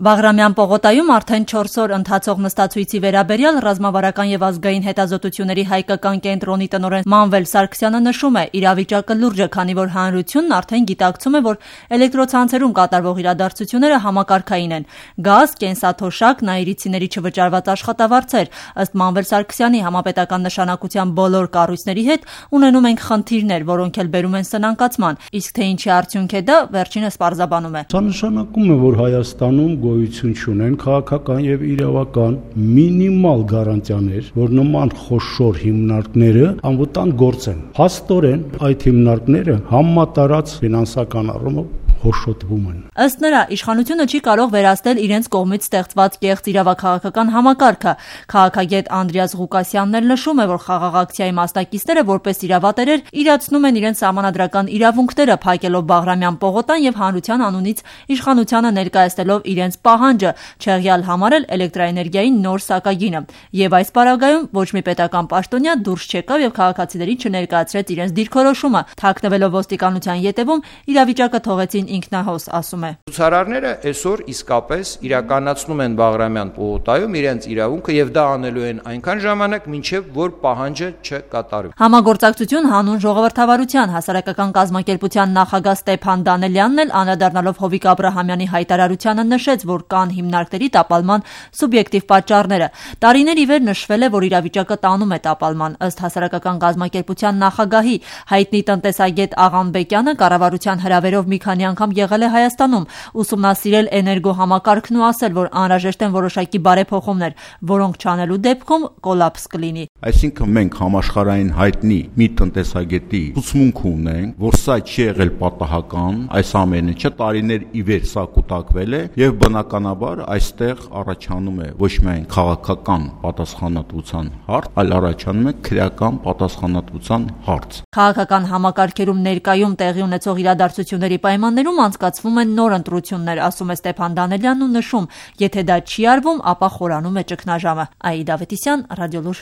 Բաղրամյան պողոտայում արդեն 4 օր ընթացող նստացույցի վերաբերյալ ռազմավարական եւ ազգային հետազոտությունների հայկական կենտրոնի տնօրեն Մանվել Սարգսյանը նշում է, իրավիճակը լուրջ է, քանի որ հանրությունն արդեն գիտակցում է, որ էլեկտրոցանցերում կատարվող իրադարձությունները համակարգային են։ Գազ, կենսաթոշակ, նայիրիցիների չվճարված աշխատավարձեր։ Ըստ Մանվել Սարգսյանի, համապետական նշանակության բոլոր կառույցների հետ ունենում ենք խնդիրներ, որոնք էլ բերում են սնանկացման։ Իսկ թե ինչի արդյունք է դա, վերջինս պարզաբանում է։ Սա նշանակում է, որ Հայաստանում գոյություն չունեն քաղաքական եւ իրավական մինիմալ գարանտիաներ, որ նման խոշոր հիմնարկները անվտանգ գործեն։ Հաստորեն այդ հիմնարկները համատարած ֆինանսական առումով հոշոտվում են։ Ըստ նրա, իշխանությունը չի կարող վերացնել իրենց կողմից ստեղծված կեղծ իրավաքաղաքական համակարգը։ Քաղաքագետ Անդրեաս Ղուկասյանն էլ նշում է, որ խաղաղ ակցիայի մասնակիցները որպես իրավատերեր իրացնում են իրենց սահմանադրական իրավունքները, փակելով Բաղրամյան պողոտան եւ հանրության անունից իշխանությանը ներկայացնելով իրենց պահանջը, չեղյալ համարել էլեկտրաէներգիայի նոր սակագինը։ Եվ այս պարագայում ոչ մի պետական պաշտոնյա դուրս չեկավ եւ քաղաքացիներին չներկայացրեց իրենց դիրքորոշումը։ Թաքնվելով ոստիկանության ետևում իրավիճակը թողեցին ինքնահոս, ասում է։ Ցուցարարները այսօր իսկապես իրականացնում են Բաղրամյան պողոտայում իրենց իրավունքը եւ դա անելու են այնքան ժամանակ, մինչեւ որ պահանջը չկատարվի։ Համագործակցություն հանուն ժողովրդավարության հասարակական կազմակերպության նախագահ Ստեփան Դանելյանն էլ անդրադառնալով Հովիկ Աբրահամյանի հայտարարությանը նշեց, որ կան հիմնարկների տապալման սուբյեկտիվ պատճառները։ Տարիներ ի վեր նշվել է, որ իրավիճակը տանում է տապալման։ Ըստ հասարակական կազմակերպության նախագահի հայտնի տնտեսագետ Աղանբեկյանը կառավարության հրավերով մի քանի անգամ եղել է Հայաստանում, ուսումնասիրել էներգոհամակարգն ու ասել, որ անհրաժեշտ են որոշակի բարեփոխումներ, որոնք չանելու դեպքում կոլապս կլինի։ Այսինքն մենք համաշխարհային հայտնի մի տնտեսագետի ուսմունք ունենք, որ սա չի եղել պատահական, այս ամենը չէ, տարիներ ի վեր սա կուտակվել է եւ բնականաբար այստեղ առաջանում է ոչ միայն քաղաքական պատասխանատվության հարց, այլ առաջանում է քրեական պատասխանատվության հարց։ Քաղաքական համակարգերում ներկայում տեղի ունեցող իրադարձությունների պայմաններում անցկացվում են նոր ընտրություններ, ասում է Ստեփան Դանելյանն ու նշում, եթե դա չի արվում, ապա խորանում է ճգնաժամը։ Աիդա Ավետիսյան, Ռադիոլուր։